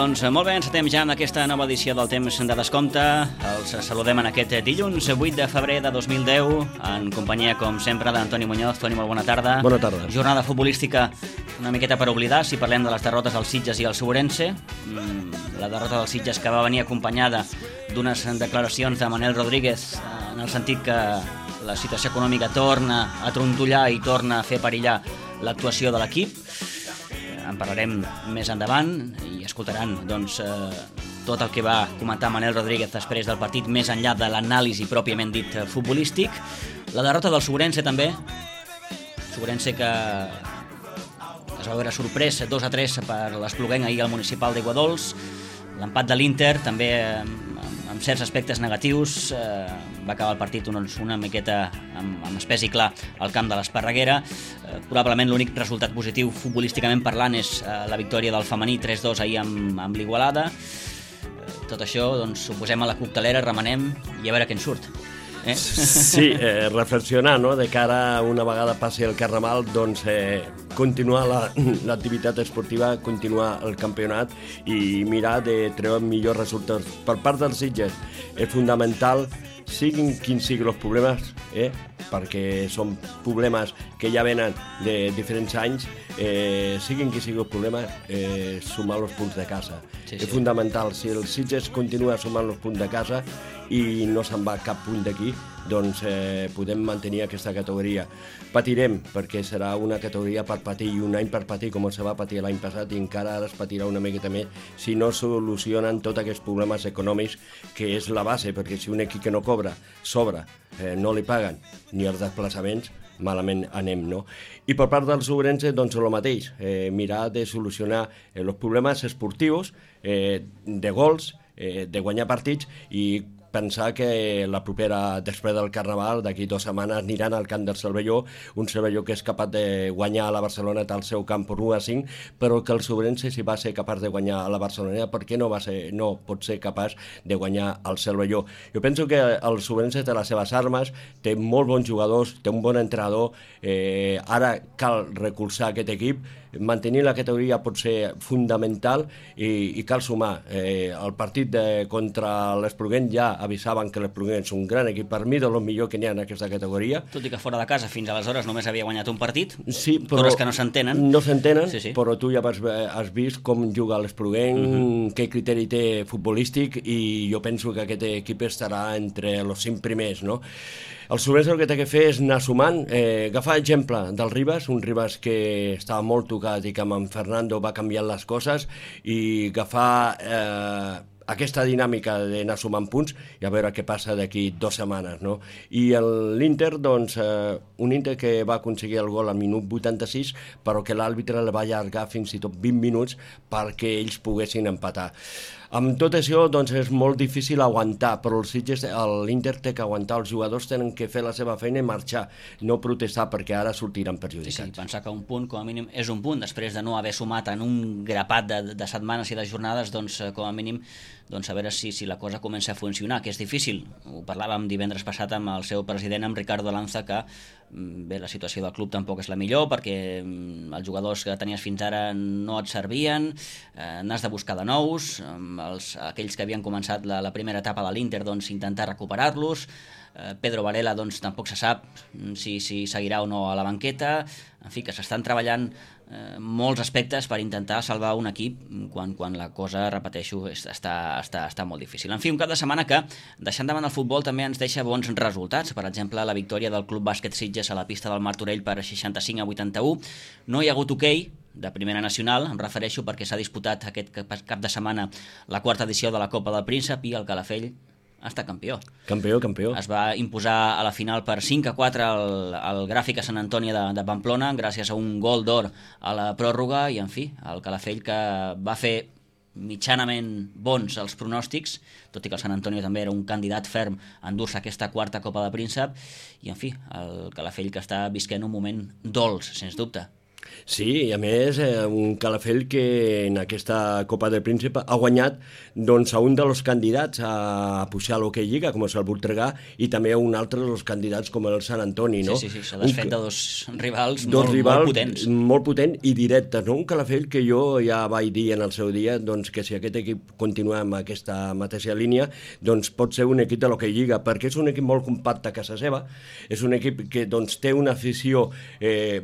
Doncs molt bé, encetem ja amb aquesta nova edició del Temps de Descompte. Els saludem en aquest dilluns 8 de febrer de 2010 en companyia, com sempre, d'Antoni Muñoz. Toni, molt bona tarda. Bona tarda. Jornada futbolística una miqueta per oblidar, si parlem de les derrotes del Sitges i el Ourense. La derrota del Sitges que va venir acompanyada d'unes declaracions de Manel Rodríguez en el sentit que la situació econòmica torna a trontollar i torna a fer perillar l'actuació de l'equip. En parlarem més endavant i escoltaran tot el que va comentar Manel Rodríguez després del partit, més enllà de l'anàlisi pròpiament dit futbolístic. La derrota del Ourense també, Ourense que es va veure sorprès 2-3 per l'Espluguenc ahir al municipal d'Aiguadols. L'empat de l'Inter també amb certs aspectes negatius, va acabar el partit una miqueta amb espès i clar al camp de l'Esparreguera. Probablement l'únic resultat positiu futbolísticament parlant és la victòria del femení 3-2 ahir amb l'Igualada. Tot això ho posem a la coctelera, remenem i a veure què en surt. Sí, reflexionar, no?, de cara a una vegada passi el Carnaval, continuar l'activitat esportiva, continuar el campionat i mirar de treure millors resultats. Per part dels Sitges és fundamental, siguin quins siguin els problemes, perquè són problemes que ja venen de diferents anys, siguin quins siguin els problemes, sumar els punts de casa. Sí. És fundamental, si el Sitges continua sumant els punts de casa i no se'n va cap punt d'aquí, doncs podem mantenir aquesta categoria. Patirem, perquè serà una categoria per patir, i un any per patir, com se va patir l'any passat, i encara ara es patirà una miqueta més si no solucionen tots aquests problemes econòmics, que és la base, perquè si un equip que no cobra, sobra, no li paguen ni els desplaçaments, malament anem, no? I per part dels Ourense, doncs el mateix, mirar de solucionar els problemes esportius, de gols, de guanyar partits, i pensar que la propera, després del Carnaval, d'aquí 2 setmanes, aniran al camp del Cervelló, un Cervelló que és capaç de guanyar a la Barcelona al seu camp per 1-5, però que el Ourense, si va ser capaç de guanyar a la Barcelona, per què no pot ser capaç de guanyar al Cervelló? Jo penso que el Ourense té les seves armes, té molt bons jugadors, té un bon entrenador, ara cal recolzar aquest equip, mantenir la categoria pot ser fundamental i cal sumar. El partit contra l'Espluguenc ja avisaven que l'Espluguenc és un gran equip, per mi de lo millor que n'hi ha en aquesta categoria. Tot i que fora de casa fins aleshores només havia guanyat un partit, sí, però coses que no s'entenen. No s'entenen, sí. Però tu ja has vist com juga l'Espluguenc, què criteri té futbolístic, i jo penso que aquest equip estarà entre els 5 primers, no? El Ourense el que té que fer és anar sumant, agafar exemple del Ribas, un Ribas que estava molt tocat i que amb en Fernando va canviant les coses, i agafar aquesta dinàmica d'anar sumant punts i a veure què passa d'aquí 2 setmanes, no? I l'Inter, un Inter que va aconseguir el gol al minut 86, però que l'àrbitre el va allargar fins i tot 20 minuts perquè ells poguessin empatar. Amb tot això, és molt difícil aguantar, però l'Inter té que aguantar, els jugadors tenen que fer la seva feina i marxar, no protestar, perquè ara sortiran perjudicats. Sí, pensar que un punt, com a mínim, és un punt, després de no haver sumat en un grapat de setmanes i de jornades, com a mínim, a veure si la cosa comença a funcionar, que és difícil. Ho parlàvem divendres passat amb el seu president, amb Ricardo Lanza, que bé, la situació del club tampoc és la millor, perquè els jugadors que tenies fins ara no et servien, n'has de buscar de nous, aquells que havien començat la primera etapa de l'Inter, intentar recuperar-los. Pedro Varela, tampoc se sap si seguirà o no a la banqueta. En fi, que s'estan treballant molts aspectes per intentar salvar un equip quan la cosa, repeteixo, està molt difícil. En fi, un cap de setmana que, deixant davant el futbol, també ens deixa bons resultats. Per exemple, la victòria del Club Bàsquet Sitges a la pista del Martorell per 65-81. No hi ha hagut hoquei de primera nacional, em refereixo perquè s'ha disputat aquest cap de setmana la 4ª edició de la Copa del Príncep i el Calafell està campió. Campió. Es va imposar a la final per 5-4 al Gràfic a Sant Antoni de Pamplona, gràcies a un gol d'or a la pròrroga, i en fi, el Calafell que va fer mitjanament bons els pronòstics, tot i que el Sant Antonio també era un candidat ferm a endur-se aquesta 4ª Copa de Príncep, i en fi, el Calafell que està visquent un moment dolç, sens dubte. Sí, i a més un Calafell que en aquesta Copa del Príncep ha guanyat doncs, a un dels candidats a pujar a l'Hockey Lliga, com és el Voltregà, i també a un altre dels candidats com el Sant Antoni. No? Sí, s'ha desfet de dos rivals, molt potents. Molt potents i directes. No? Un Calafell que jo ja vaig dir en el seu dia doncs, que si aquest equip continua amb aquesta mateixa línia, doncs pot ser un equip de l'Hockey Lliga, perquè és un equip molt compacte a casa seva, és un equip que doncs, té una afició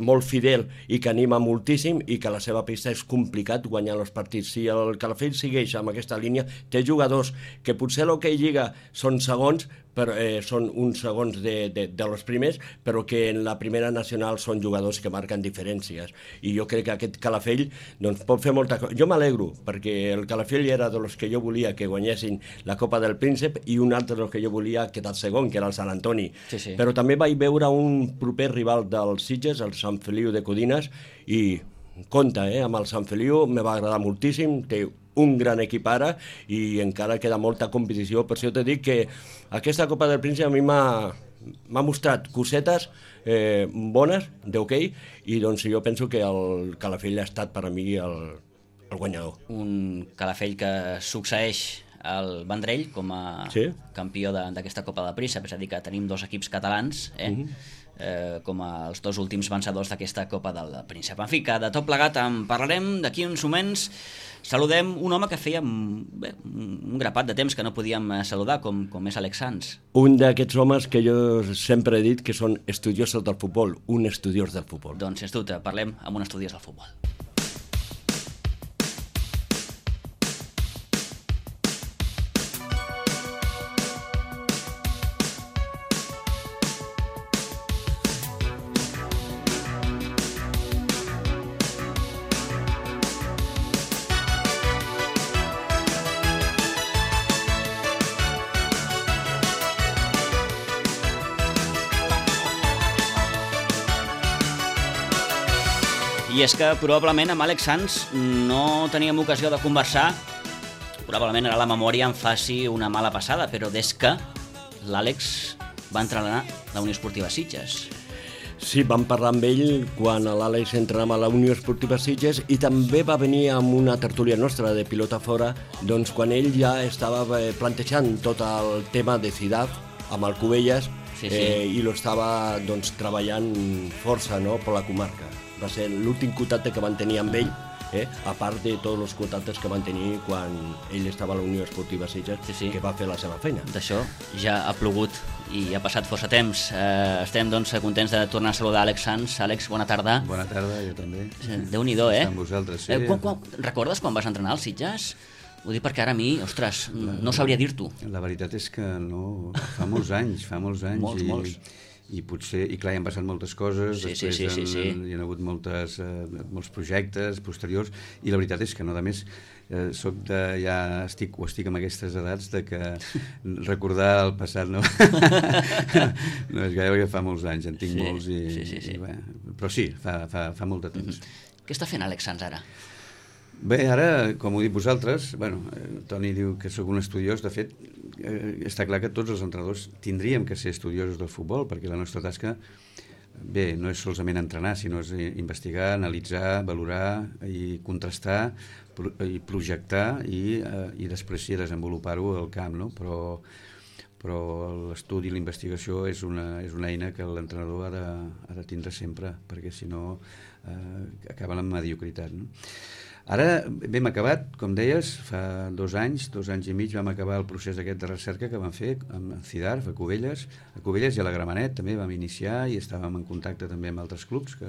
molt fidel i que anima moltíssim i que a la seva pista és complicat guanyar els partits. Si el Calafell segueix amb aquesta línia, té jugadors que potser a l'Hockey Lliga són segons, però, són uns segons de los primers, però que en la primera nacional són jugadors que marquen diferències. I jo crec que aquest Calafell doncs, pot fer molta cosa. Jo m'alegro, perquè el Calafell era de los que jo volia que guanyessin la Copa del Príncep i un altre dels que jo volia quedar segon, que era el Sant Antoni. Sí. Però també vaig veure un proper rival dels Sitges, el Sant Feliu de Codines, i compte, amb el Sant Feliu me va agradar moltíssim, té un gran equip ara i encara queda molta competició. Per això t'he dit que aquesta Copa del Príncep a mi m'ha mostrat cosetes bones d'hoquei i doncs jo penso que el Calafell ha estat per a mi el guanyador. Un Calafell que succeeix el Vendrell com a campió d'aquesta Copa del Príncep, és a dir que tenim dos equips catalans, com els dos últims vencedors d'aquesta Copa del Príncep. En fi, que de tot plegat en parlarem d'aquí uns moments. Saludem un home que feia un grapat de temps que no podíem saludar, com és Àlex Sans. Un d'aquests homes que jo sempre he dit que són estudiosos del futbol, un estudiós del futbol. Doncs, sens dubte, parlem amb un estudiós del futbol. I és que probablement amb Àlex Sans no teníem ocasió de conversar, probablement ara la memòria em faci una mala passada, però des que l'Àlex va entrenar la Unió Esportiva Sitges. Sí, vam parlar amb ell quan l'Àlex entrenava a la Unió Esportiva Sitges i també va venir amb una tertúlia nostra de Pilota Fora, doncs quan ell ja estava plantejant tot el tema de CIDAF amb el Cubelles i lo estava doncs, treballant força per la comarca. Va ser l'últim contacte que van tenir amb ell, a part de tots els contactes que van tenir quan ell estava a la Unió Esportiva Sitges, que va fer la seva feina. D'això ja ha plogut i ha passat força temps. Estem doncs, contents de tornar a saludar Àlex Sans. Àlex, bona tarda. Bona tarda, jo també. Déu-n'hi-do, Amb vosaltres, sí. Recordes quan vas entrenar als Sitges? Ho dic perquè ara a mi, ostres, no sabria dir-t'ho. La veritat és que no, fa molts anys. Molts. I potser, i clar, hi han passat moltes coses, després hi ha hagut molts projectes posteriors, i la veritat és que no, a més, estic amb aquestes edats de que recordar el passat no no és gaire, perquè fa molts anys, en tinc molts, i bé, però sí, fa molt de temps. Què està fent Àlex Sans ara? Bé, ara, com ho dic vosaltres, Toni diu que sóc un estudiós, de fet, està clar que tots els entrenadors tindríem que ser estudiosos del futbol, perquè la nostra tasca, bé, no és solament entrenar, sinó és investigar, analitzar, valorar i contrastar, i projectar i després sí desenvolupar-ho al camp, no? Però l'estudi i la investigació és una eina que l'entrenador ha de tindre sempre, perquè si no acaba la mediocritat, no? Ara hem acabat, com deies, fa 2 anys i mig vam acabar el procés aquest de recerca que vam fer amb CIDARF, a Cubelles i a la Gramenet també vam iniciar i estàvem en contacte també amb altres clubs que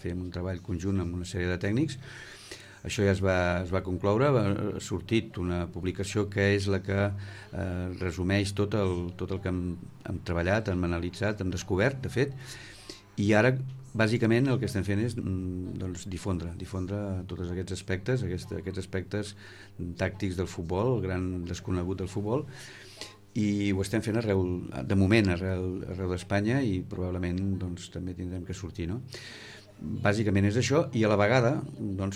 fèiem un treball conjunt amb una sèrie de tècnics. Això ja es va concloure, ha sortit una publicació que és la que resumeix tot el que hem treballat, hem analitzat, hem descobert, de fet, i ara bàsicament el que estem fent és difondre tots aquests aspectes tàctics del futbol, el gran desconegut del futbol, i ho estem fent de moment arreu d'Espanya i probablement també tindrem que sortir, no? Bàsicament és això, i a la vegada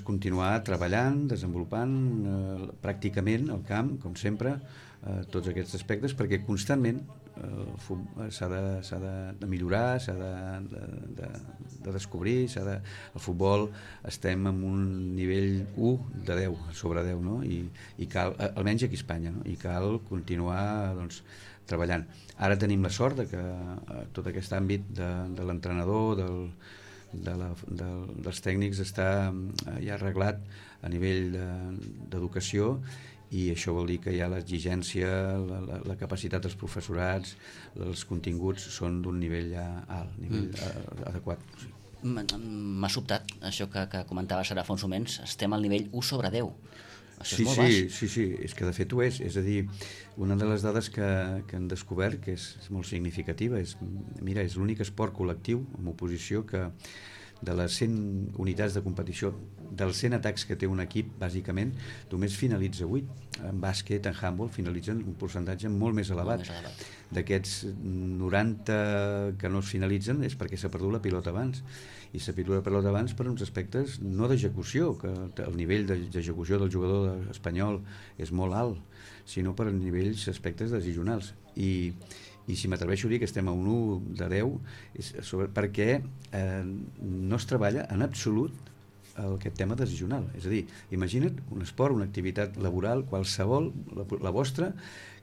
continuar treballant, desenvolupant pràcticament al camp, com sempre, tots aquests aspectes, perquè constantment s'ha de millorar, s'ha de descobrir, el futbol estem en un nivell 1 de 10, sobre 10, no? I cal, almenys aquí a Espanya, no? I cal continuar, doncs, treballant. Ara tenim la sort de que tot aquest àmbit de l'entrenador, dels tècnics està ja arreglat a nivell d'educació, i això vol dir que hi ha l'exigència, la capacitat dels professorats, els continguts són d'un nivell ja alt, nivell adequat. M'ha sobtat això que comentaves ara fa uns moments, estem al nivell 1 sobre 10. Això sí, és molt baix. Sí, és que de fet ho és a dir, una de les dades que han descobert, que és molt significativa, és l'únic esport col·lectiu, en oposició, que de les 100 unitats de competició, dels 100 atacs que té un equip, bàsicament, només finalitza 8. En bàsquet, en handball, finalitzen un percentatge molt més elevat. D'aquests 90 que no es finalitzen és perquè s'ha perdut la pilota abans. I s'ha perdut la pilota abans per uns aspectes no d'execució, que el nivell d'execució del jugador espanyol és molt alt, sinó per nivells, aspectes decisionals. I si m'atreveixo a dir que estem a un 1 de 10 és perquè no es treballa en absolut aquest tema decisional. És a dir, imagina't un esport, una activitat laboral, qualsevol, la vostra,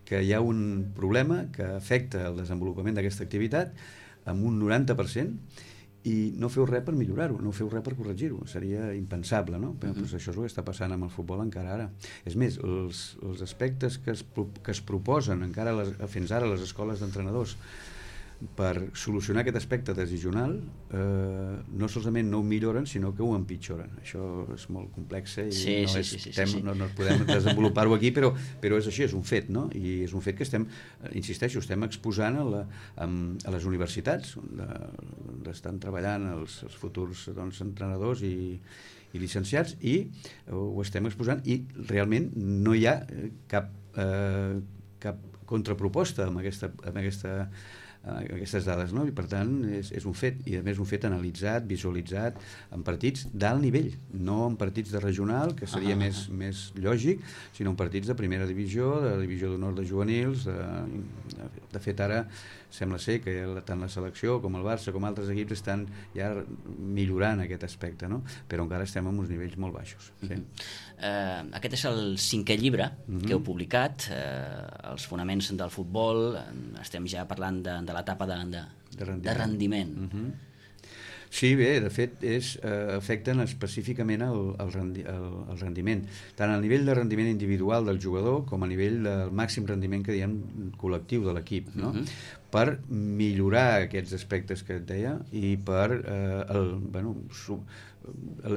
que hi ha un problema que afecta el desenvolupament d'aquesta activitat amb un 90%, i no feu res per millorar-ho, no feu res per corregir-ho. Seria impensable, no? Però doncs això és el que està passant amb el futbol encara ara. És més, els aspectes que es proposen encara fins ara a les escoles d'entrenadors per solucionar aquest aspecte decisional no solament no ho milloren, sinó que ho empitjoren. Això és molt complex i no podem desenvolupar-ho aquí, però és així, és un fet, no? I és un fet que insisteixo, estem exposant a les universitats on estan treballant els futurs entrenadors i llicenciats, i ho estem exposant, i realment no hi ha cap contraproposta amb aquestes dades, no? I per tant és un fet, i a més un fet analitzat, visualitzat en partits d'alt nivell, no en partits de regional, que seria més lògic, sinó en partits de primera divisió, de divisió d'honor de juvenils. De fet, ara sembla ser que tant la selecció com el Barça com altres equips estan ja millorant aquest aspecte, no? Però encara estem en uns nivells molt baixos. Sí. Aquest és el 5è llibre que heu publicat, Els fonaments del futbol. Estem ja parlant de l'etapa de rendiment. Sí, bé, de fet afecten específicament el rendiment, tant al nivell de rendiment individual del jugador com a nivell del màxim rendiment que diem col·lectiu de l'equip, no? Per millorar aquests aspectes que et deia i per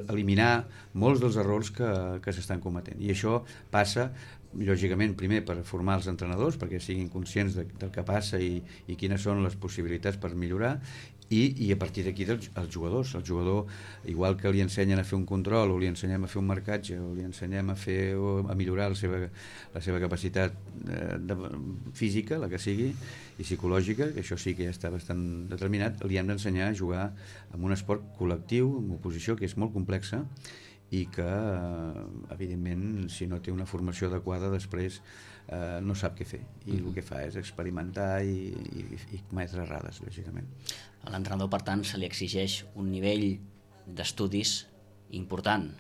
eliminar molts dels errors que s'estan cometent. I això passa, lògicament, primer per formar els entrenadors perquè siguin conscients del que passa i quines són les possibilitats per millorar, i a partir d'aquí els jugadors. El jugador, igual que li ensenyen a fer un control, o li ensenyem a fer un marcatge, o li ensenyem a millorar la seva capacitat física, la que sigui, i psicològica, que això sí que ja està bastant determinat, li hem d'ensenyar a jugar en un esport col·lectiu, en oposició, que és molt complexa, i que, evidentment, si no té una formació adequada, després no sap què fer, i el que fa és experimentar i cometre errades, lògicament. A l'entrenador, per tant, se li exigeix un nivell d'estudis important.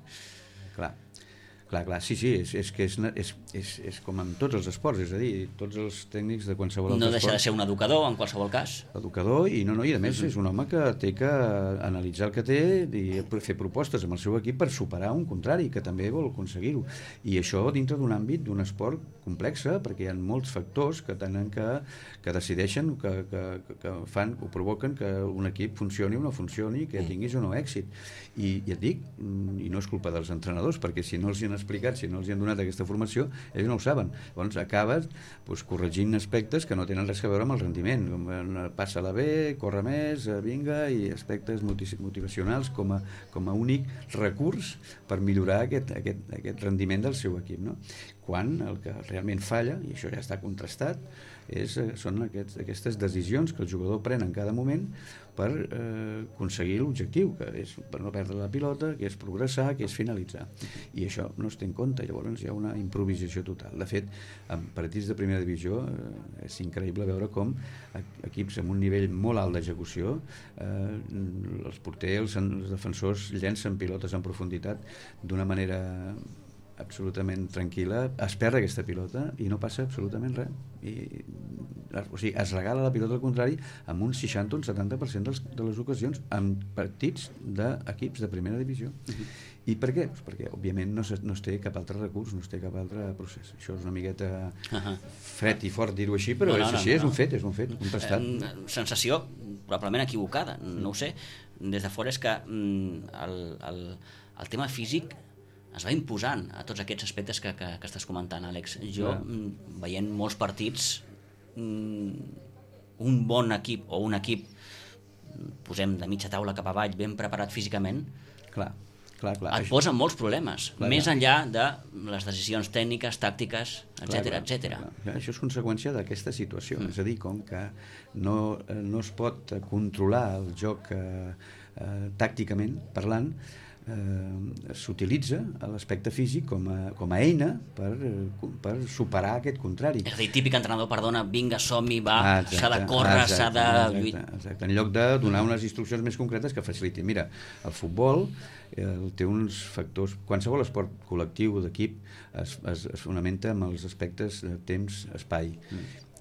Clar, sí, és que és com en tots els esports, és a dir, tots els tècnics de qualsevol altre esport. No deixa de ser un educador, en qualsevol cas. Educador, i a més és un home que té que analitzar el que té i fer propostes amb el seu equip per superar un contrari, que també vol aconseguir-ho. I això dintre d'un àmbit, d'un esport complex, perquè hi ha molts factors que tenen que decideixen, que fan o provoquen que un equip funcioni o no funcioni, que tinguis o no èxit. I et dic, i no és culpa dels entrenadors, perquè si no els hi han explicat, si no els hi han donat aquesta formació, ells no ho saben. Llavors acabes corregint aspectes que no tenen res a veure amb el rendiment, com passa-la bé, corre més, vinga, i aspectes motivacionals com a únic recurs per millorar aquest rendiment del seu equip, no? Quan el que realment falla, i això ja està contrastat, són aquestes decisions que el jugador pren en cada moment per aconseguir l'objectiu, que és per no perdre la pilota, que és progressar, que és finalitzar. I això no es té en compte, llavors hi ha una improvisació total. De fet, en partits de primera divisió és increïble veure com equips amb un nivell molt alt d'execució, els porters, els defensors llencen pilotes en profunditat d'una manera absolutament tranquil·la, es perd aquesta pilota i no passa absolutament res. O sigui, es regala la pilota al contrari amb un 60 o un 70% de les ocasions en partits d'equips de primera divisió. I per què? Pues perquè, òbviament, no es té cap altre recurs, no es té cap altre procés. Això és una miqueta fred i fort dir-ho així, però és així, és un fet contrastat. Sensació probablement equivocada, no ho sé. Des de fora és que el tema físic es va imposant a tots aquests aspectes que estàs comentant, Àlex. Jo, veient molts partits, un bon equip o un equip, posem de mitja taula cap avall, ben preparat físicament, clar. Et posa molts problemes, més enllà de les decisions tècniques, tàctiques, etc. Això és conseqüència d'aquesta situació, és a dir, com que no es pot controlar el joc tàcticament parlant, s'utilitza l'aspecte físic com a eina per superar aquest contrari. És a dir, típic entrenador, perdona, vinga, som-hi, va, s'ha de córrer, s'ha de... Exacte, en lloc de donar unes instruccions més concretes que facilitin. Mira, el futbol té uns factors... Qualsevol esport col·lectiu d'equip es fonamenta en els aspectes de temps, espai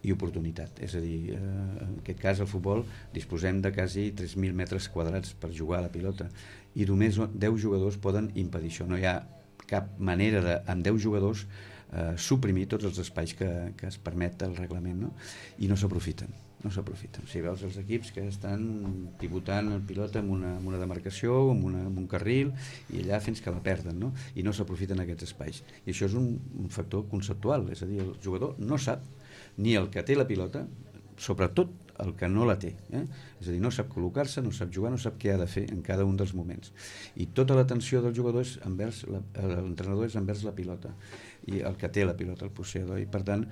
i oportunitat. És a dir, en aquest cas, el futbol, disposem de quasi 3.000 metres quadrats per jugar a la pilota i només 10 jugadors poden impedir això. No hi ha cap manera de, amb 10 jugadors, suprimir tots els espais que es permet el reglament, no? I no s'aprofiten. O sigui, veus els equips que estan pivotant el pilota amb una demarcació, amb un carril, i allà fins que la perden, no? I no s'aprofiten aquests espais. I això és un factor conceptual, és a dir, el jugador no sap ni el que té la pilota, sobretot el que no la té, és a dir, no sap col·locar-se, no sap jugar, no sap què ha de fer en cada un dels moments, i tota l'atenció del jugador és envers l'entrenador, és envers la pilota i el que té la pilota, el posseïdor, i per tant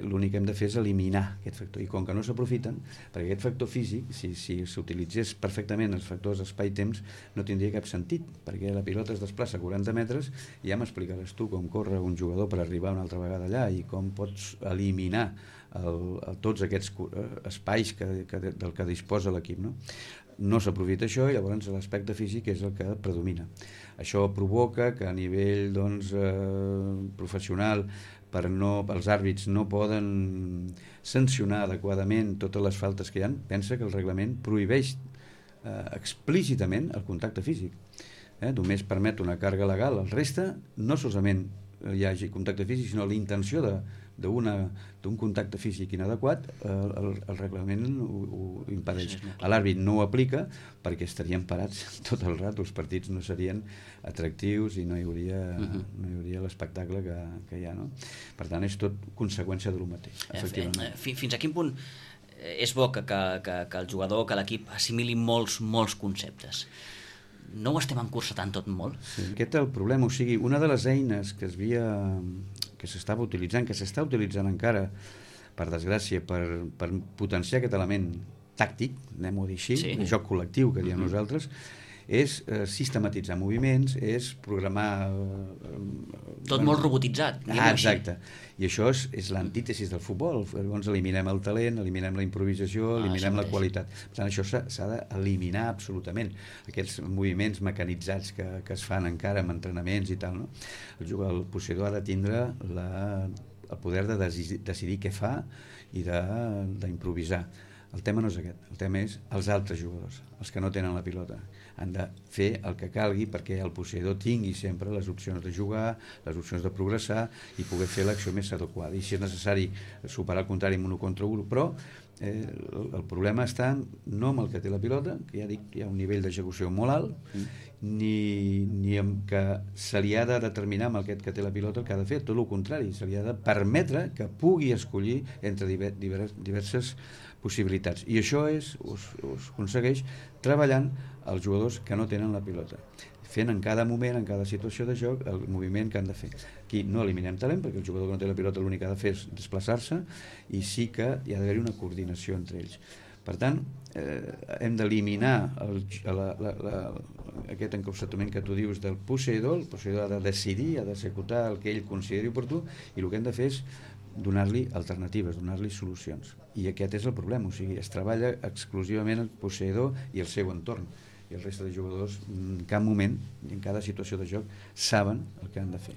l'únic que hem de fer és eliminar aquest factor, i com que no s'aprofiten, perquè aquest factor físic, si s'utilitzés perfectament els factors espai-temps, no tindria cap sentit, perquè la pilota es desplaça 40 metres i ja m'explicaràs tu com corre un jugador per arribar una altra vegada allà i com pots eliminar tots aquests espais del que disposa l'equip, no s'aprofita això i llavors l'aspecte físic és el que predomina. Això provoca que a nivell professional els àrbits no poden sancionar adequadament totes les faltes que hi ha. Pensa que el reglament prohibeix explícitament el contacte físic. Només permet una càrrega legal. El reste, no solament hi hagi contacte físic, sinó la intenció d'un contacte físic inadequat, el reglament ho impedeix. L'àrbit no ho aplica perquè estarien parats tot el rato, els partits no serien atractius i no hi hauria l'espectacle que hi ha, no? Per tant, és tot conseqüència de lo mateix, efectivament. Fins a quin punt és bo que el jugador, que l'equip assimili molts conceptes? No ho estem encursetant tot molt? Sí, aquest és el problema. O sigui, una de les eines que s'estava utilitzant, que s'està utilitzant encara, per desgràcia, per potenciar aquest element tàctic, anem-ho a dir així, el joc col·lectiu que diem nosaltres, és sistematitzar moviments, és programar... Tot molt robotitzat, diguem-ho així. Exacte. I això és l'antítesis del futbol. Llavors eliminem el talent, eliminem la improvisació, eliminem la qualitat. Per tant, això s'ha d'eliminar absolutament. Aquests moviments mecanitzats que es fan encara amb entrenaments i tal, no? El posseïdor ha de tindre el poder de decidir què fa i d'improvisar. El tema no és aquest, el tema és els altres jugadors, els que no tenen la pilota. Han de fer el que calgui perquè el posseïdor tingui sempre les opcions de jugar, les opcions de progressar i poder fer l'acció més adequada. I si és necessari superar el contrari en 1 contra 1, però el problema està no amb el que té la pilota, que ja dic, hi ha un nivell d'execució molt alt, ni amb que se li ha de determinar amb aquest que té la pilota el que ha de fer, tot el contrari, se li ha de permetre que pugui escollir entre diverses possibilitats. I això es aconsegueix treballant els jugadors que no tenen la pilota, fent en cada moment, en cada situació de joc, el moviment que han de fer. Aquí no eliminem talent, perquè el jugador que no té la pilota l'únic que ha de fer és desplaçar-se, i sí que hi ha d'haver una coordinació entre ells. Per tant, hem d'eliminar aquest encapçalament que tu dius del posseïdor. El posseïdor ha de decidir, ha d'executar el que ell consideri oportú, i el que hem de fer és donar-li alternatives, donar-li solucions. I aquest és el problema, o sigui, es treballa exclusivament el posseïdor i el seu entorn, i el resta de jugadors en cap moment i en cada situació de joc saben el que han de fer.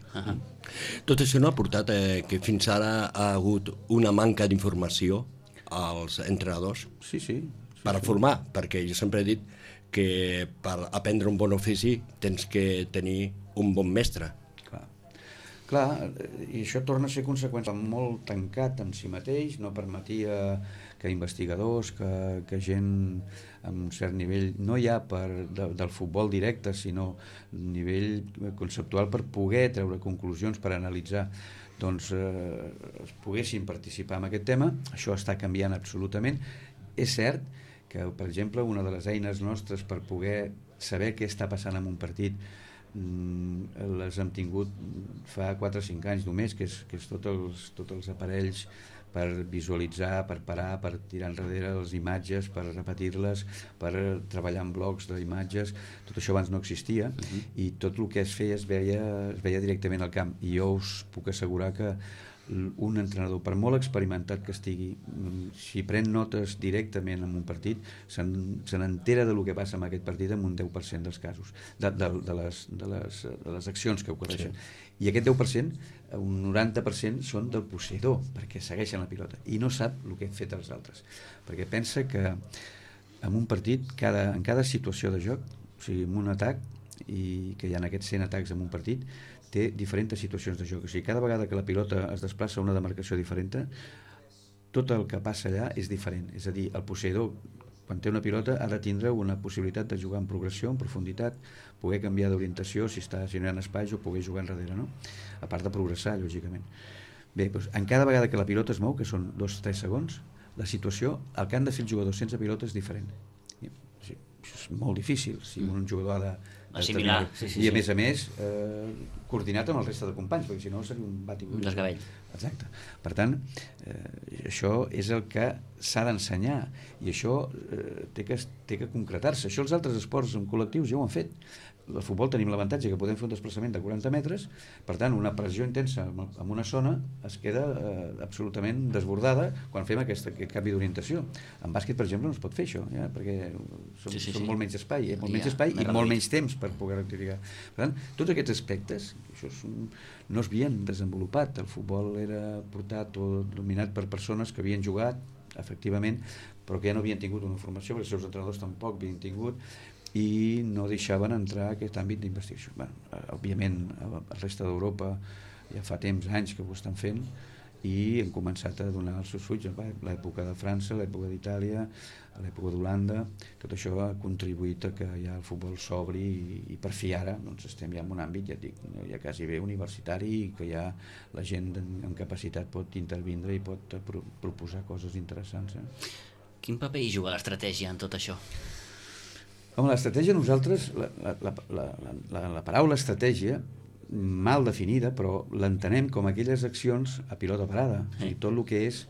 Tot això no ha portat que fins ara ha hagut una manca d'informació als entrenadors? Sí. Per formar, perquè jo sempre he dit que per aprendre un bon ofici tens que tenir un bon mestre. Clar, i això torna a ser conseqüència molt tancat en si mateix, no permetia que investigadors, que gent amb un cert nivell, no ja del futbol directe, sinó nivell conceptual, per poder treure conclusions, per analitzar, doncs poguessin participar en aquest tema. Això està canviant absolutament. És cert que, per exemple, una de les eines nostres per poder saber què està passant en un partit les hem tingut fa 4 o 5 anys només, que és tots els aparells per visualitzar, per parar, per tirar enrere les imatges, per repetir-les, per treballar en blocs d'imatges. Tot això abans no existia, i tot el que es feia es veia directament al camp, i jo us puc assegurar que un entrenador, per molt experimentat que estigui, si pren notes directament en un partit, se n'entera del que passa en aquest partit en un 10% dels casos, de les accions que ocorreixen. I aquest 10%, un 90% són del posseïdor, perquè segueixen la pilota, i no sap el que han fet els altres. Perquè pensa que en un partit, en cada situació de joc, o sigui, en un atac, i que hi ha aquests 100 atacs en un partit, té diferents situacions de joc. O sigui, cada vegada que la pilota es desplaça a una demarcació diferent, tot el que passa allà és diferent. És a dir, el posseïdor, quan té una pilota, ha de tindre una possibilitat de jugar en progressió, en profunditat, poder canviar d'orientació si no hi ha espais, o poder jugar enrere, no? A part de progressar, lògicament. Bé, doncs, en cada vegada que la pilota es mou, que són 2-3 segons, la situació, el que han de fer els jugadors sense pilota és diferent. Això és molt difícil, si un jugador ha de assimilar, i a més coordinat amb el reste de companys, perquè si no seria un batibull, un desgavell. Exacte. Per tant, això és el que s'ha d'ensenyar, i això té que concretar-se. Això els altres esports en col·lectius ja ho han fet. El futbol tenim l'avantatge que podem fer un desplaçament de 40 metres, per tant una pressió intensa en una zona es queda absolutament desbordada quan fem aquest canvi d'orientació. En bàsquet, per exemple, no es pot fer això, perquè són molt menys espai, menys espai i molt menys temps per poder rectificar. Per tant, tots aquests aspectes no es havien desenvolupat. El futbol era portat o dominat per persones que havien jugat, efectivament, però que ja no havien tingut una formació, perquè els seus entrenadors tampoc havien tingut, i no deixaven entrar aquest àmbit d'investigació. Òbviament, a la resta d'Europa ja fa anys que ho estan fent, i han començat a donar els seus fruits. L'època de França, l'època d'Itàlia, l'època d'Holanda, tot això ha contribuït a que ja el futbol s'obri, i per fi ara estem ja en un àmbit, ja et dic, ja quasi bé universitari, i que ja la gent amb capacitat pot intervindre i pot proposar coses interessants. Quin paper hi juga l'estratègia en tot això? Home, l'estratègia, nosaltres, la paraula estratègia, mal definida, però l'entenem com aquelles accions a pilota parada, i tot el que és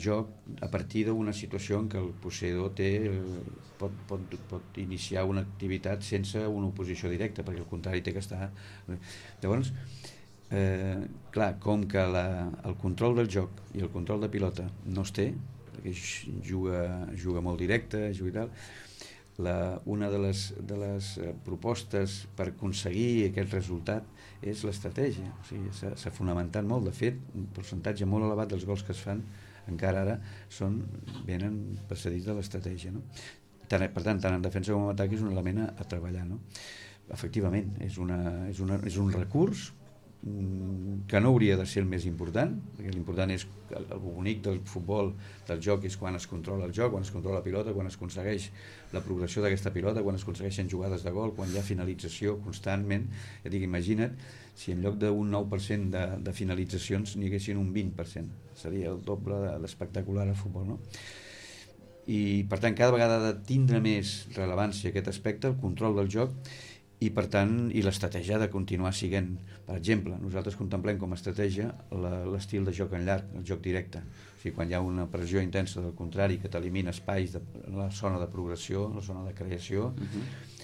joc a partir d'una situació en què el posseïdor pot iniciar una activitat sense una oposició directa, perquè al contrari té que estar... Llavors, clar, com que el control del joc i el control de pilota no es té, perquè juga molt directe, juga i tal, una de les propostes per aconseguir aquest resultat és l'estratègia. O sigui, s'ha fonamentat molt. De fet, un percentatge molt elevat dels gols que es fan encara ara venen precedits de l'estratègia, no? Per tant, tant en defensa com en atac és un element a treballar, no? Efectivament, és un recurs que no hauria de ser el més important, perquè l'important és el bonic del futbol, del joc, és quan es controla el joc, quan es controla la pilota, quan es aconsegueix la progressió d'aquesta pilota, quan es aconsegueixen jugades de gol, quan hi ha finalització constantment. Ja dic, imagina't si en lloc d'un 9% de finalitzacions n'hi haguessin un 20%, seria el doble d'espectacular el futbol, no? I per tant cada vegada ha de tindre més rellevància aquest aspecte, el control del joc, i per tant, i l'estratègia ha de continuar siguent, per exemple, nosaltres contemplem com a estratègia l'estil de joc en llarg, el joc directe. O sigui, quan hi ha una pressió intensa del contrari que t'elimina espais de la zona de progressió, la zona de creació,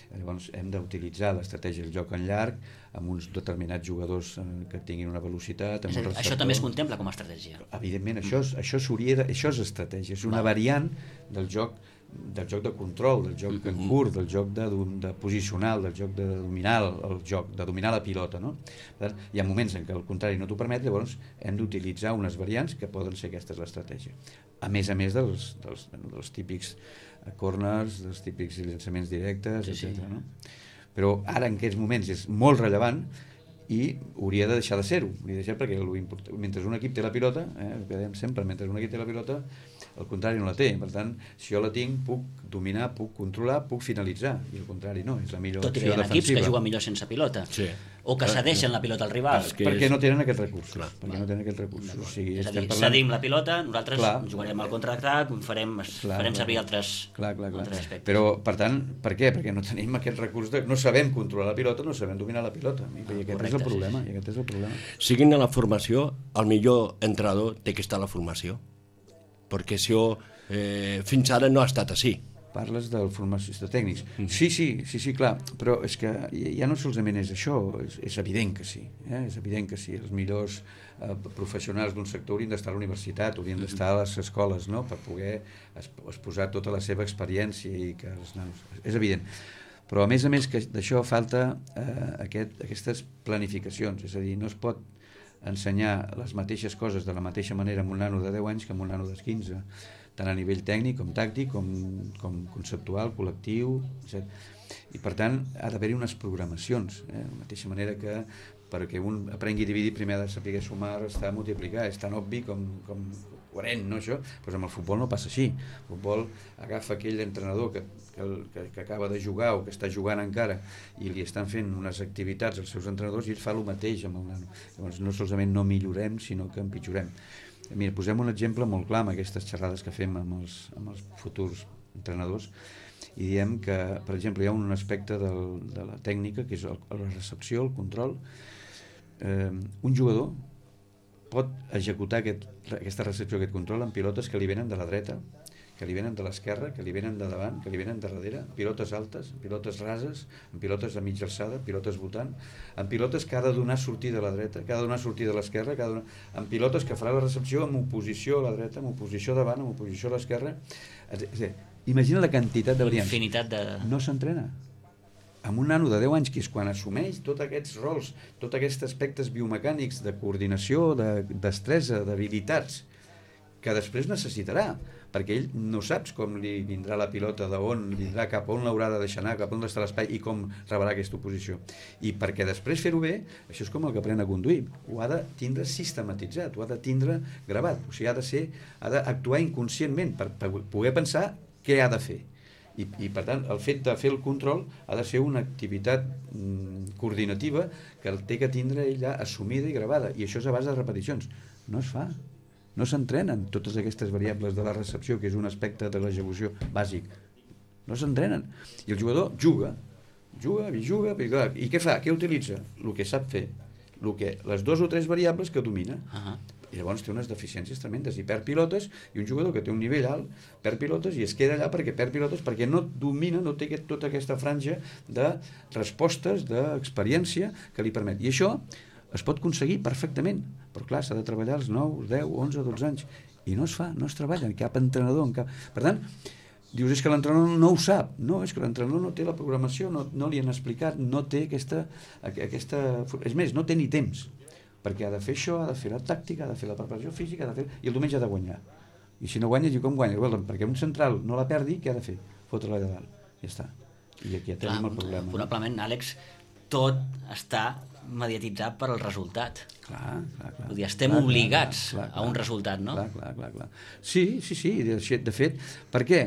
llavors hem d'utilitzar l'estratègia del joc en llarg amb uns determinats jugadors que tinguin una velocitat. És a dir, això també es contempla com a estratègia? Evidentment, això és estratègia, és una variant del joc de control, del joc en curt, del joc de posicional, del joc de dominar el joc, de dominar la pilota, no? Per tant, hi ha moments en què el contrari no t'ho permet, llavors hem d'utilitzar unes variants que poden ser aquesta és l'estratègia. A més dels típics corners, dels típics llançaments directes, etc. No? Però ara en aquests moments és molt rellevant i hauria de deixar de ser-ho, perquè mentre un equip té la pilota, ho dèiem sempre, mentre un equip té la pilota, el contrari no la té. Per tant, si jo la tinc, puc dominar, puc controlar, puc finalitzar, i el contrari no, és la millor opció defensiva. Tot i que hi ha equips que juguen millor sense pilota, o que cedeixen la pilota al rival. Perquè no tenen aquest recurs. Perquè no tenen aquest recurs. O sigui, és a dir, cedim la pilota, nosaltres jugarem al contraatac, farem servir altres aspectes. Però, per tant, per què? Perquè no tenim aquest recurs, no sabem controlar la pilota, no sabem dominar la pilota. I aquest és el problema. Siguin a la formació, el millor entrenador té que estar a la formació. Perquè això fins ara no ha estat així. Parles del formació tècnics. Sí, clar, però és que ja no solament és això, és evident que sí. És evident que sí. Els millors professionals d'un sector haurien d'estar a la universitat, haurien d'estar a les escoles, no?, per poder exposar tota la seva experiència i que els nanos... És evident. Però a més d'això falta aquestes planificacions, és a dir, no es pot ensenyar les mateixes coses de la mateixa manera amb un nano de 10 anys que amb un nano de 15, tant a nivell tècnic com tàctic, com conceptual, col·lectiu, etc. I per tant ha d'haver-hi unes programacions, de la mateixa manera que perquè un aprengui a dividir primer ha de saber sumar, restar, multiplicar, és tan obvi com coherent, no, això? Doncs amb el futbol no passa així. El futbol agafa aquell entrenador que acaba de jugar o que està jugant encara i li estan fent unes activitats als seus entrenadors i ell fa el mateix amb el nano. Llavors no solament no millorem, sinó que empitjorem. Mira, posem un exemple molt clar amb aquestes xerrades que fem amb els futurs entrenadors i diem que, per exemple, hi ha un aspecte de la tècnica que és la recepció, el control. Un jugador pot executar aquesta recepció, aquest control en pilotes que li venen de la dreta, que li venen de l'esquerra, que li venen de davant, que li venen de darrere, pilotes altes, pilotes rases, en pilotes a mitja alçada, pilotes votant, en pilotes que ha de donar sortida a la dreta, que ha de donar sortida a l'esquerra, en pilotes que farà la recepció amb oposició a la dreta, amb oposició davant, amb oposició a l'esquerra. Imagina la quantitat de variants. Infinitat de... No s'entrena. Amb un nano de 10 anys, que és quan assumeix tots aquests rols, tots aquests aspectes biomecànics de coordinació, de destresa, d'habilitats, que després necessitarà, perquè ell no saps com li vindrà la pilota, d'on vindrà, cap on l'haurà de deixar anar, cap on està l'espai i com rebrà aquesta oposició. I perquè després fer-ho bé, això és com el que aprèn a conduir, ho ha de tindre sistematitzat, ho ha de tindre gravat, o sigui, ha d'actuar inconscientment per poder pensar què ha de fer. I per tant, el fet de fer el control ha de ser una activitat coordinativa que el té que tindre ell ja assumida i gravada, i això és a base de repeticions. No es fa. No s'entrenen totes aquestes variables de la recepció, que és un aspecte de l'execució bàsic. No s'entrenen. I el jugador juga, i què fa? Què utilitza? El que sap fer. Les 2 o 3 variables que domina. I llavors té unes deficiències tremendes i perd pilotes, i un jugador que té un nivell alt perd pilotes i es queda allà perquè perd pilotes, perquè no domina, no té tota aquesta franja de respostes, d'experiència que li permet. I això es pot aconseguir perfectament, però clar, s'ha de treballar als 9, 10, 11, 12 anys, i no es fa, no es treballa en cap entrenador, Per tant, dius, és que l'entrenador no ho sap. No, és que l'entrenador no té la programació, no li han explicat, no té aquesta... És més, no té ni temps, perquè ha de fer això, ha de fer la tàctica, ha de fer la preparació física, i el diumenge ha de guanyar. I si no guanya, diu, com guanya? Perquè un central no la perdi, què ha de fer? Fotre-la de dalt. Ja està. I aquí ja tenim el problema. Probablement, Àlex, tot està mediatitzat per al resultat. Clar. Vull dir, estem obligats a un resultat, no? Clar. Sí, de fet, per què?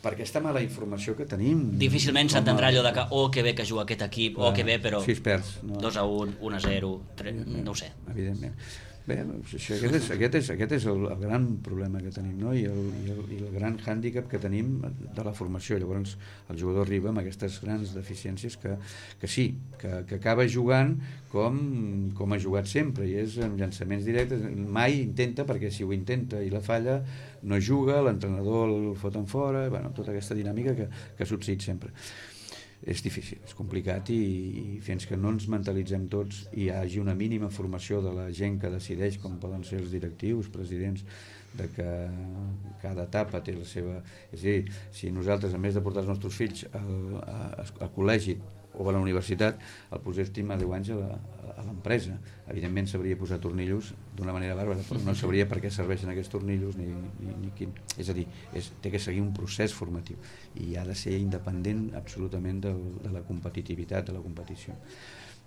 Perquè està mala informació que tenim. Difícilment s'entendrà allò de que que bé que juga aquest equip, que bé, però 6 perds, 2-1, 1-0, no ho sé. Evidentment. Bé, aquest és el gran problema que tenim, no? I el gran hàndicap que tenim de la formació. Llavors el jugador arriba amb aquestes grans deficiències que sí, que acaba jugant com ha jugat sempre, i és en llançaments directes. Mai intenta, perquè si ho intenta i la falla no juga, l'entrenador el foten fora, bueno, tota aquesta dinàmica que ha succeït sempre. És difícil, és complicat, i fins que no ens mentalitzem tots i hi hagi una mínima formació de la gent que decideix, com poden ser els directius, presidents, de que cada etapa té la seva... És a dir, si nosaltres, a més de portar els nostres fills al col·legi o a la universitat, el poséssim a 10 anys a l'empresa, evidentment sabria posar tornillos d'una manera bàrbara, però no sabria per què serveixen aquests tornillos ni quin... És a dir, té que seguir un procés formatiu i ha de ser independent absolutament de la competitivitat, de la competició.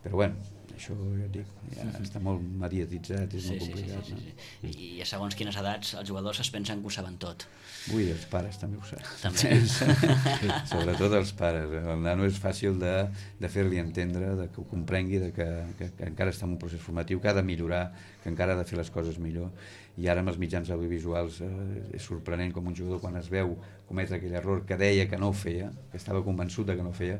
Però bueno, això ja et dic, està molt mediatitzat, és molt complicat. Sí. I a segons quines edats els jugadors es pensen que ho saben tot. Ui, els pares també ho saben. També. Sobretot els pares. El nano és fàcil de fer-li entendre, que ho comprengui, que encara està en un procés formatiu, que ha de millorar, que encara ha de fer les coses millor. I ara amb els mitjans audiovisuals és sorprenent com un jugador, quan es veu cometre aquell error que deia que no ho feia, que estava convençut de que no ho feia,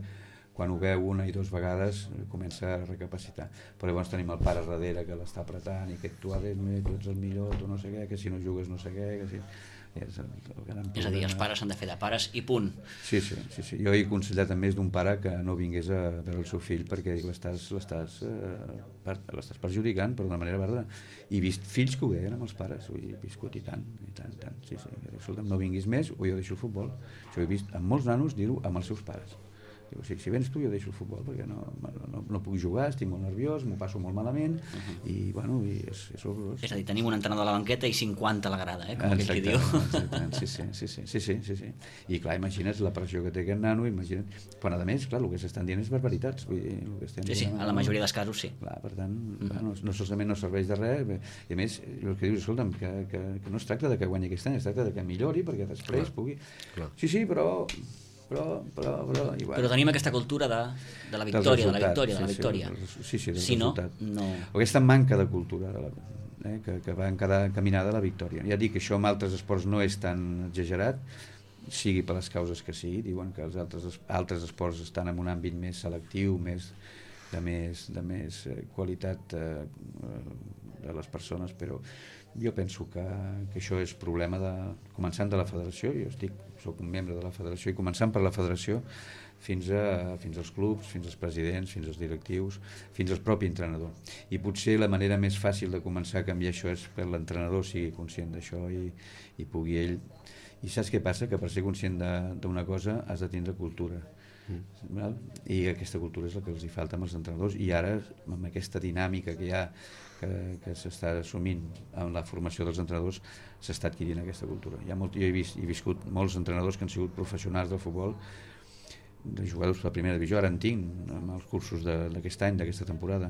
quan ho veu una i dues vegades comença a recapacitar. Però llavors tenim el pare darrere que l'està apretant i que tu ets el millor, tu no sé què, que si no jugues no sé què, que si... És a dir, els pares s'han de fer de pares i punt. Sí. Jo he aconsellat a més d'un pare que no vingués a veure el seu fill perquè l'estàs perjudicant, però d'una manera verda. I he vist fills que ho deien amb els pares, ho he viscut i tant. Sí. Escolta'm, no vinguis més o jo deixo el futbol. Això ho he vist amb molts nanos dir-ho amb els seus pares. Diu, si vens tu jo deixo el futbol perquè no puc jugar, estic molt nerviós, m'ho passo molt malament i bueno, és horrorós. És a dir, tenim un entrenador a la banqueta i 50 a la grada, com aquell que diu. Sí. I clar, imagina't la pressió que té aquest nano, imagina't, quan a més, clar, el que s'estan dient és barbaritats. Vull dir, el que estem sí, a la majoria dels casos sí. Clar, per tant, no solament no serveix de res, i a més, el que dius, escolta'm, que no es tracta de que guanyi aquest any, es tracta de que millori perquè després pugui... Sí, però tenim aquesta cultura de la victòria, Sí, del resultat. Aquesta manca de cultura que va encaminada a la victòria. Ja dic que això en altres esports no és tan exagerat, sigui per les causes que sigui. Diuen que els altres esports estan en un àmbit més selectiu, de més qualitat de les persones, però jo penso que això és problema començant de la federació. Jo soc un membre de la federació, i començant per la federació fins als clubs, fins als presidents, fins als directius, fins al propi entrenador. I potser la manera més fàcil de començar a canviar això és que l'entrenador sigui conscient d'això i pugui ell... I saps què passa? Que per ser conscient d'una cosa has de tindre cultura. I aquesta cultura és la que els hi falta amb els entrenadors, i ara amb aquesta dinàmica que hi ha que s'està assumint amb la formació dels entrenadors s'està adquirint aquesta cultura. Jo he viscut molts entrenadors que han sigut professionals del futbol, de jugadors de la primera divisió, ara en tinc amb els cursos d'aquest any, d'aquesta temporada,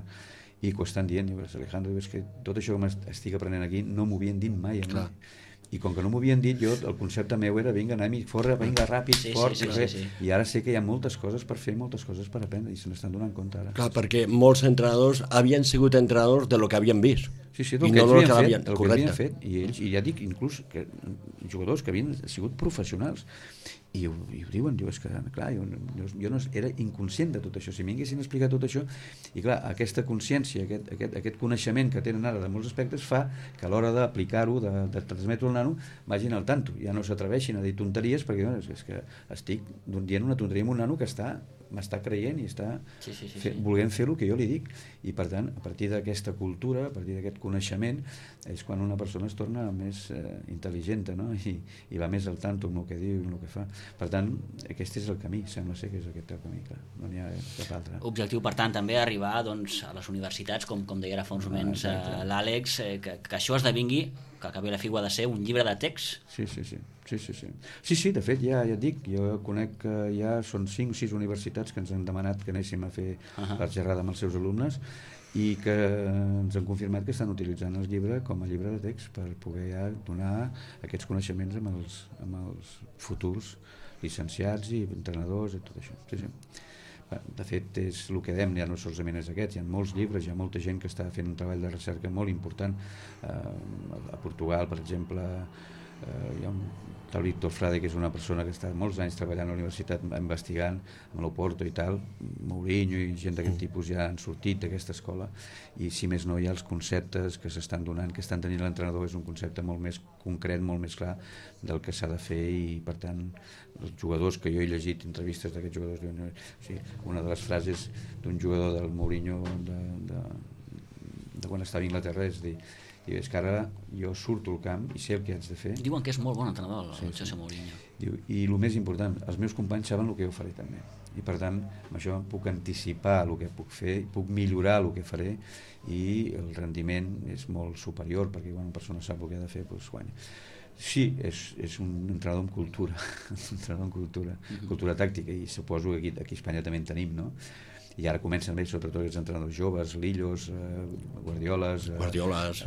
i que ho estan dient, Alejandro, és que tot això que estic aprenent aquí no m'ho havien dit mai a mi. I com que no m'ho havien dit, jo el concepte meu era vinga, anem-hi, fora, vinga, ràpid, fort, i ara sé que hi ha moltes coses per fer, moltes coses per aprendre, i se n'estan donant compte ara. Clar, perquè molts entrenadors havien sigut entrenadors de lo que havien vist. Sí, del que havien fet, i ja dic, inclús jugadors que havien sigut professionals, i ho diuen, és que clar, jo no era inconscient de tot això. Si m'haguessin explicat tot això, i clar, aquesta consciència, aquest coneixement que tenen ara de molts aspectes fa que a l'hora d'aplicar-ho, de transmetre-ho al nano, vagin al tanto, ja no s'atreveixin a dir tonteries, perquè és que estic dient una tonteria amb un nano que m'està creient i està volent fer el que jo li dic, i per tant, a partir d'aquesta cultura, a partir d'aquest coneixement, és quan una persona es torna més intel·ligent, no? I va més al tanto amb el que diu i amb el que fa. Per tant, aquest és el camí, sembla ser que és aquest el camí, clar, no n'hi ha cap altre. Objectiu, per tant, també arribar a les universitats, com deia ara fa uns moments l'Àlex, que això esdevingui, que acabi la fi ha de ser un llibre de text. Sí, de fet, ja et dic, jo conec que ja són 5 o 6 universitats que ens han demanat que anéssim a fer la xerrada amb els seus alumnes, i que ens han confirmat que estan utilitzant el llibre com a llibre de text per poder ja donar aquests coneixements amb els futurs llicenciats i entrenadors i tot això. De fet, és el que dèiem, ja no solament és aquest, hi ha molts llibres, hi ha molta gent que està fent un treball de recerca molt important. A Portugal, per exemple, hi ha un tal Víctor Frade, que és una persona que està molts anys treballant a la universitat investigant amb l'Oporto i tal, Mourinho i gent d'aquest tipus ja han sortit d'aquesta escola, i si més no hi ha els conceptes que s'estan donant, que estan tenint l'entrenador, és un concepte molt més concret, molt més clar del que s'ha de fer, i per tant els jugadors que jo he llegit, entrevistes d'aquests jugadors, o sigui, una de les frases d'un jugador del Mourinho de quan estava a Anglaterra és dir, és que ara jo surto al camp i sé el que haig de fer. Diuen que és molt bon entrenador, el José Mourinho. Diu, i el més important, els meus companys saben el que jo faré també. I per tant, amb això puc anticipar el que puc fer, puc millorar el que faré, i el rendiment és molt superior, perquè quan una persona sap el que ha de fer, doncs guanya. Sí, és un entrenador amb cultura, un entrenador amb cultura tàctica, i suposo que aquí a Espanya també en tenim, no? I ara comencen a veure sobretot els entrenadors joves, Lillos, Guardiolas,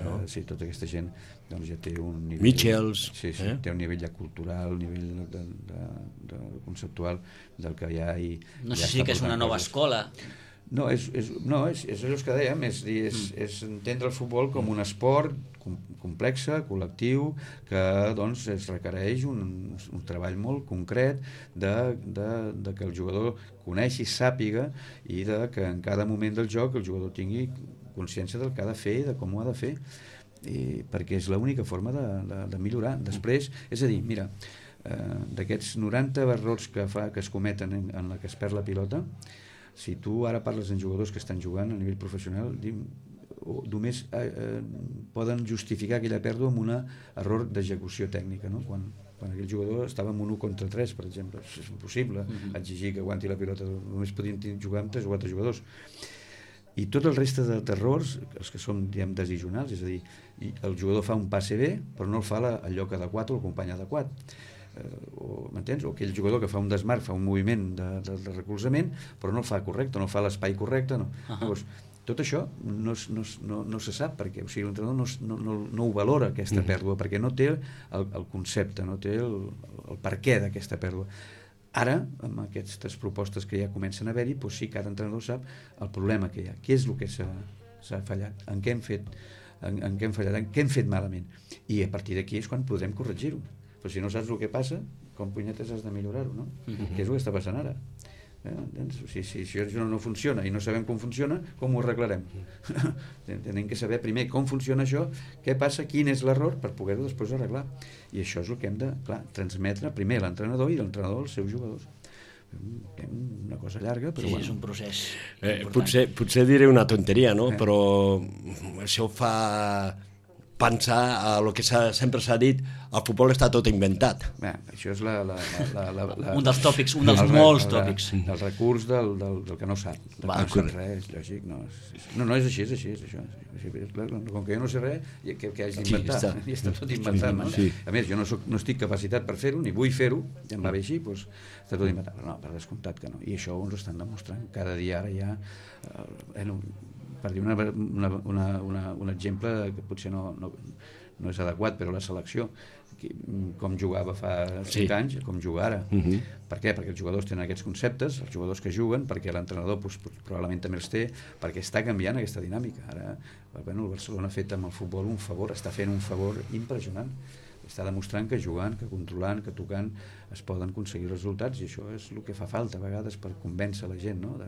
no? Sí, tota aquesta gent doncs ja té un nivell... Michels. Sí, té un nivell ja cultural, un nivell de conceptual del que hi ha. No sé si que és una nova escola. No, és allò que dèiem, és entendre el futbol com un esport complex, col·lectiu, que doncs es requereix un treball molt concret de que el jugador coneixi, sàpiga, i de que en cada moment del joc el jugador tingui consciència del que ha de fer i de com ho ha de fer, perquè és l'única forma de millorar. Després, és a dir, mira, d'aquests 90 errors que es cometen en la que es perd la pilota, si tu ara parles amb jugadors que estan jugant a nivell professional, només poden justificar aquella pèrdua amb un error d'execució tècnica, no? Quan aquell jugador estava en un 1 contra 3, per exemple, és impossible exigir que aguanti la pilota, només podien jugar amb 3 o 4 jugadors. I tot el reste d'errors, els que són, diguem, decisionals, és a dir, el jugador fa un passe bé, però no el fa al lloc adequat o el company adequat. M'entens? O aquell jugador que fa un desmarc, fa un moviment de recolzament, però no el fa correcte, no fa l'espai correcte, no. Llavors, tot això no se sap, perquè l'entrenador no ho valora, aquesta pèrdua, perquè no té el concepte, no té el perquè d'aquesta pèrdua. Ara, amb aquestes propostes que ja comencen a haver-hi, doncs sí, cada entrenador sap el problema que hi ha, què és el que s'ha fallat, en què hem fallat, en què hem fet malament, i a partir d'aquí és quan podrem corregir-ho. Però si no saps el que passa, com punyetes has de millorar-ho, no? Què és el que està passant ara? Si això no funciona i no sabem com funciona, com ho arreglarem? Tenim que saber primer com funciona això, què passa, quin és l'error, per poder-ho després arreglar. I això és el que hem de, clar, transmetre primer a l'entrenador i l'entrenador als seus jugadors. Una cosa llarga, però sí, és un procés potser diré una tonteria, no? Però això fa pensar a lo que sempre s'ha dit, el futbol està tot inventat. Bé, això és un dels tòpics, un dels molts tòpics. El recurs del que no sap. No sap res, és lògic. No, és així, és això. Com que jo no sé res, què haig d'inventar? I està tot inventat, no? A més, jo no estic capacitat per fer-ho, ni vull fer-ho, ja em va bé així, doncs està tot inventat. Però no, per descomptat que no. I això ens ho estan demostrant. Cada dia ara ja... per dir un exemple que potser no és adequat, però la selecció, com jugava fa 5 anys, com juga ara. Per què? Perquè els jugadors tenen aquests conceptes, els jugadors que juguen, perquè l'entrenador probablement també els té, perquè està canviant aquesta dinàmica. Ara, el Barcelona ha fet amb el futbol un favor, està fent un favor impressionant. Està demostrant que jugant, que controlant, que tocant es poden aconseguir resultats, i això és el que fa falta a vegades per convèncer la gent, no?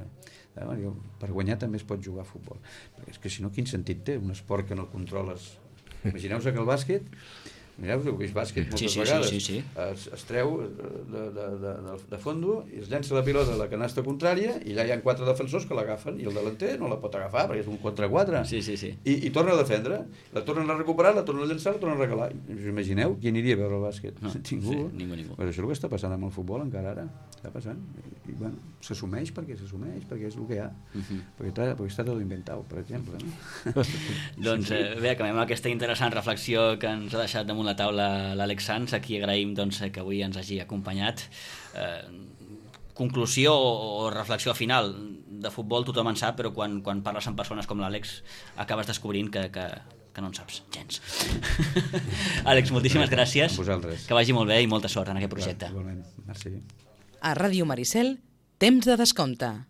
Per guanyar també es pot jugar a futbol, perquè és que si no, quin sentit té un esport que no controles? Imagineu-vos que el bàsquet, mireu, heu vist bàsquet moltes vegades, es treu de fondo i es llença la pilota a la canasta contrària, i allà hi ha 4 defensors que l'agafen i el delanter no la pot agafar perquè és un contra 4 i torna a defendre, la tornen a recuperar, la tornen a llençar, la tornen a regalar. Us imagineu qui aniria a veure el bàsquet? Ningú. Però això és el que està passant amb el futbol encara ara, està passant, i bueno, s'assumeix perquè és el que hi ha, perquè està tot inventat, per exemple. Doncs bé, acabem amb aquesta interessant reflexió que ens ha deixat damunt la taula l'Àlex Sans, a qui agraïm que avui ens hagi acompanyat. Conclusió o reflexió final: de futbol tothom en sap, però quan parles amb persones com l'Àlex acabes descobrint que no en saps gens. Àlex, moltíssimes gràcies, que vagi molt bé i molta sort en aquest projecte. Merci. A Ràdio Maricel, temps de descompte.